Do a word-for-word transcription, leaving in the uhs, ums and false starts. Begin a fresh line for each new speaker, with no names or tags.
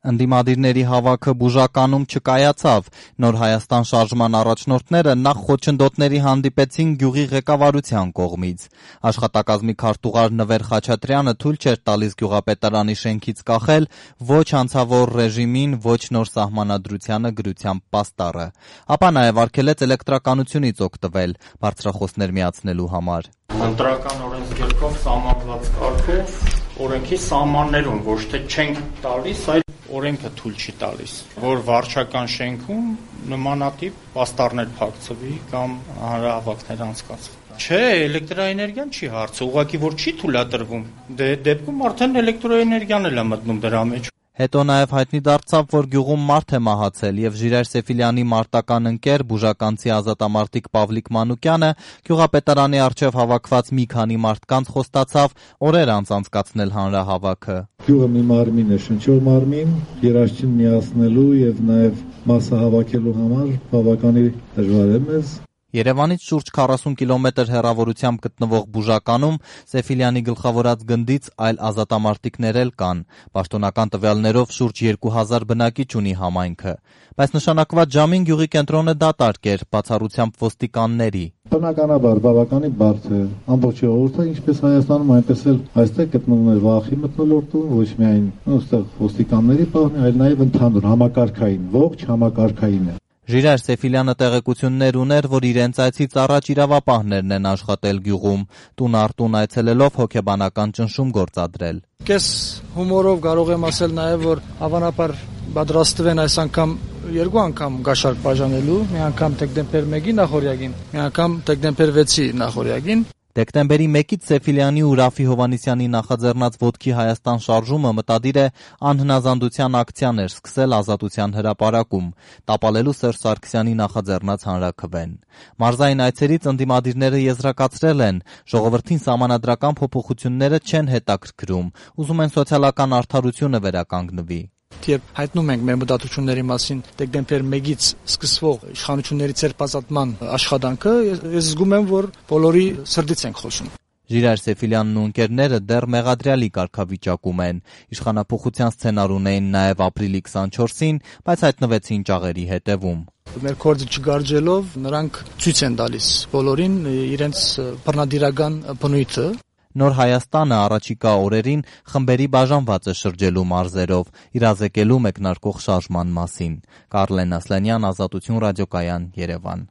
Ընդդիմադիրների հավաքը բուժականում չկայացավ, Նոր Հայաստան շարժման առաջնորդները նախ խոչընդոտների հանդիպեցին գյուղի ղեկավարության կողմից։ Աշխատակազմի քարտուղար Նվեր Խաչատրյանը թույլ չէր տալիս գյուղապետարանի շենքից կախել ոչ հանցավոր ռեժիմին, ոչ նոր սահմանադրությանը գրությամբ պաստառը, ապա նաև արգելեց էլեկտրականությունից օգտվել բարձրախոսներ միացնելու համար։
Ընտրական օրենսգրքով սահմանված կարգով օրենքի սահմաններում ոչ թե չենք տալիս, այլ օրենքը թույլ չի տալիս, որ վարչական շենքում նմանատիպ պաստառներ փակցվի կամ հանրահավաքներ անցկացվի։ Չէ, էլեկտրաէներգիան չի հարցը, ուղղակի որ չի թույլատրվում, դե դեպքում արդեն էլեկտրոէներգիան էլ է մտնում դրա մեջ։
Հետո նաև հայտնի դարձավ, որ գյուղում մարդ է մահացել և Ժիրայր Սեֆիլյանի մարտական ընկեր բուժականցի ազատամարտիկ Պավլիկ Մանուկյանը գյուղապետարանի առջև հավաքված մի քանի մարդկանց խոստացավ օրեր անց անցկացնել հանրահավաքը։
Գյուղը մի մարմին է, շնչող մարմին, երաշխին միացնելու և նաև մասսահավաքելու համար բավականին դժվար է մեզ։
Երևանից շուրջ քառասուն կիլոմետր հեռավորությամբ գտնվող Բուժականում Սեֆիլյանի գլխավորած գնդից այլ ազատամարտիկներ էլ կան։ Պաշտոնական տվյալներով շուրջ երկու հազար բնակիչ ունի համայնքը, բայց նշանակված ժամին գյուղի կենտրոնը դատարկ էր, բացառությամբ ոստիկանների։
Բնականաբար բավականին բարդ է, ամբողջ ժողովուրդը, ինչպես Հայաստանում, այնպես էլ այստեղ գտնվում է վախի մթնոլորտում, ոչ միայն այստեղ ոստիկանների պահն է, այլ նաև ընդհանուր համակարգային, ողջ համակարգային է։
Ժիրայր Սեֆիլյանը տեղեկություններ ուներ, որ իրենց այցից առաջ իրավապահներն են աշխատել գյուղում, տուն առ տուն այցելելով հոգեբանական ճնշում գործադրել։
Կես հումորով կարող եմ ասել նաև, որ հավանաբար պատրաստվեն այս անգամ երկու անգամ գաշարք բաժանելու, մի անգամ դեկտեմբեր մեկի նախօրյակին, մի անգամ դեկտեմբեր վեցի նախօրյակին։
Դեկտեմբերի մեկից Սեֆիլյանի ու Ռաֆի Հովհաննիսյանի նախաձեռնած «Ոտքի Հայաստան» շարժումը մտադիր է անհնազանդության ակցիաներ սկսել Ազատության հրապարակում, տապալելու Սերժ Սարգսյանի նախաձեռնած հանրաքվեն։ Մարզային այցերից ընդդիմադիրները եզրակացրել են, ժողովրդին սահմանադրական փոփոխությունները չեն հետաքրքրում, ուզում են սոցիալական արդարությունը վերականգնվի։
Երբ հայտնում ենք մեր մտածությունների մասին դեկտեմբեր մեկից սկսվող իշխանությունների ցերպազատման աշխատանքը, ես զգում եմ, որ բոլորի սրտից ենք խոսում։
Ժիրայր Սեֆիլյանն ու ընկերները դեռ մեղադրյալի կարգավիճակում են։ Իշխանափոխության սցենար ունեին նաև ապրիլի քսանչորսին, բայց հայտնվեցին ճաղերի հետևում։
Մեր գործը չգարջելով նրանք ցույց են տալիս բոլորին իրենց բռնադիրական բնույթը։
Նոր Հայաստանը առաջիկա օրերին խմբերի բաժանված է շրջելու մարզերով, իրազեկելու մեկնարկող շարժման մասին։ Կարլեն Ասլանյան, Ազատություն ռադիոկայան, Երևան։